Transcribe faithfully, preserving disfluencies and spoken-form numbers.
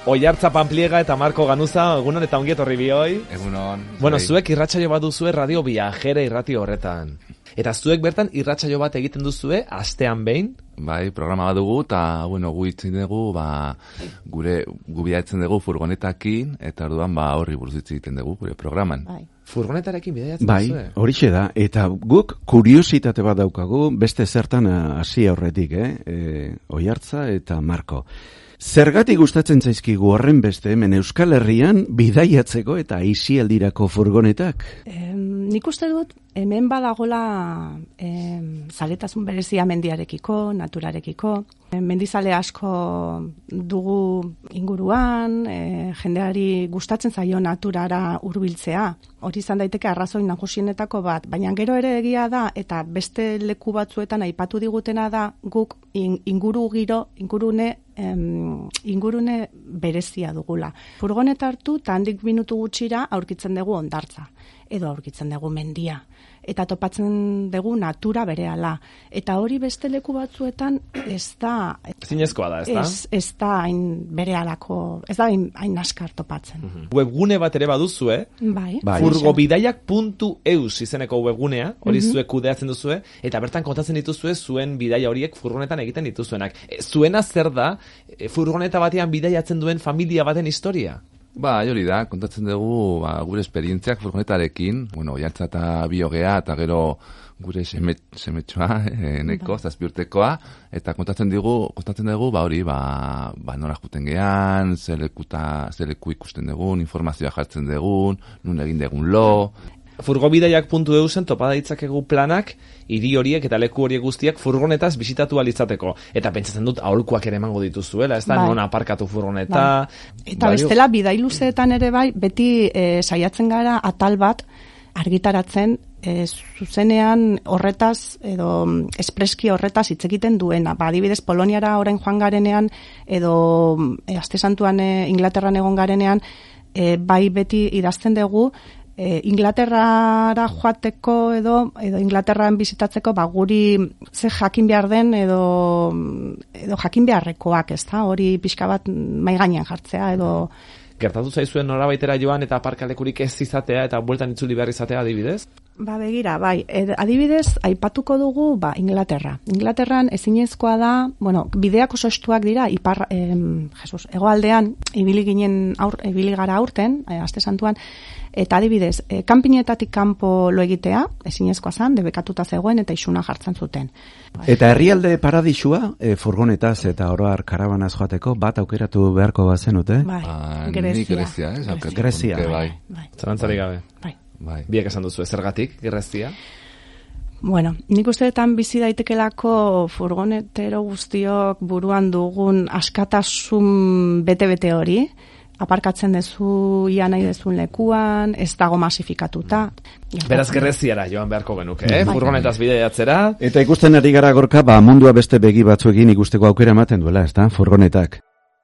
Oiartza Pampliega eta Marko Ganuza, egunon eta ongi etorri bioi. Egunon. Bueno, zuek irratsaio bat duzue Radio Viajera irrati horretan. Eta zuek bertan irratsaio bat egiten duzue astean behin? Bai, programa bat dugu, eta, bueno, gu itzen dugu, ba, gure, gu bidaiatzen dugu furgonetakin, eta orduan, ba, horri buruz hitz egiten dugu, gure programan. Bai. Furgonetarekin bidaiatzen bai, duzue? Bai, horixe da, eta guk kuriositate bat daukagu, beste zertan hasi aurretik, eh? E, Oiartza eta Marko. Zergatik gustatzen zaizkigu horren beste hemen Euskal Herrian bidaiatzeko eta aisialdirako furgonetak? Eh, nik uste dut hemen badagola eh, zaletasun berezia mendiarekiko, naturarekiko. Eh, mendizale asko dugu inguruan, eh, jendeari gustatzen zaio naturara hurbiltzea. Hori izan daiteke arrazoi nagusienetako bat, baina gero ere egia da eta beste leku batzuetan aipatu digutena da guk inguru giro, ingurune em, ingurune berezia dugula. Furgoneta hartu eta handik minutu gutxira aurkitzen dugu hondartza edo aurkitzen dugu mendia eta topatzen dugu natura berehala. Eta hori beste leku batzuetan ez da zinezkoa da, ez da? Ez, ez da hain berehalako, ez da hain, hain askar topatzen. Mm-hmm. Webgune bat ere baduzue, bai. Bai. furgobidaiak puntu eus izeneko webgunea, hori mm-hmm. zuek kudeatzen duzue, eta bertan kontatzen dituzue zuen bidaia horiek furgonetan egiten dituzuenak. E, zuena zer da, e, furgoneta batean bidaiatzen duen familia baten historia? Ba, hori da, kontatzen dugu ba, gure esperientziak furgonetarekin, bueno, Oiartza eta Biogea, eta gero gure seme, semetxoa, e, neko, zazpi urtekoa, eta kontatzen dugu, kontatzen dugu, ba hori, ba, ba nora juten gehan, zelekuta, zeleku ikusten dugun, informazioa jartzen dugun, nun egin dugun lo. Furgobidaiak puntu eusen topa ditzakegu planak, hiri horiek eta leku horiek guztiak furgonetaz bisitatu alitzateko. Eta pentsatzen dut aholkuak ere emango dituzuela, ez da, bai. Non aparkatu furgoneta. Bai. Eta bai, bestela bidailuzeetan ere bai, beti e, saiatzen gara atal bat argitaratzen e, zuzenean horretaz edo espreski horretaz hitz egiten duena. Ba, adibidez Poloniara orain joan garenean edo e, Aste Santuan e, Inglaterran egon garenean e, bai beti idazten dugu E, Inglaterrara joateko edo edo Inglaterran bizitatzeko ba guri ze jakin behar den edo edo jakin beharrekoak, ezta? Hori pixka bat mai gainean jartzea edo gertatu zaizuen norabaitera joan eta aparkalekurik ez izatea eta bueltan itzuli behar izatea adibidez? Ba begira, bai, ed, adibidez aipatuko dugu ba Inglaterra. Inglaterran ezinezkoa da, bueno, bideak oso estuak dira ipar em, Jesus, hegoaldean ibili ginen aur, ibili gara aurten, e, Aste Santuan. Eta adibidez, e, kanpinetatik kanpo lo egitea, ezinezkoa zan, debekatuta zegoen eta isuna jartzen zuten. Eta herrialde paradisua, e, furgonetaz eta oroar karabanaz joateko, bat aukeratu beharko bazenute? Bai, ah, Grezia. Grezia, eh? Grezia. Bai. Bai. Zalantzarik gabe. Bai. Bai. Biek esan duzu, zergatik, Grezia? Bueno, nik usteetan bizi daitekelako furgonetero guztiok buruan dugun askatasun bete-bete hori, aparkatzen dezu ia nahi dezun lekuan, ez dago masifikatuta. Beraz Greziara joan beharko genuke, eh? Bai. Furgonetaz bidaiatzera. Eta ikusten ari gara Gorka, ba mundua beste begi batzuekin ikusteko aukera ematen duela, ez da, furgonetak.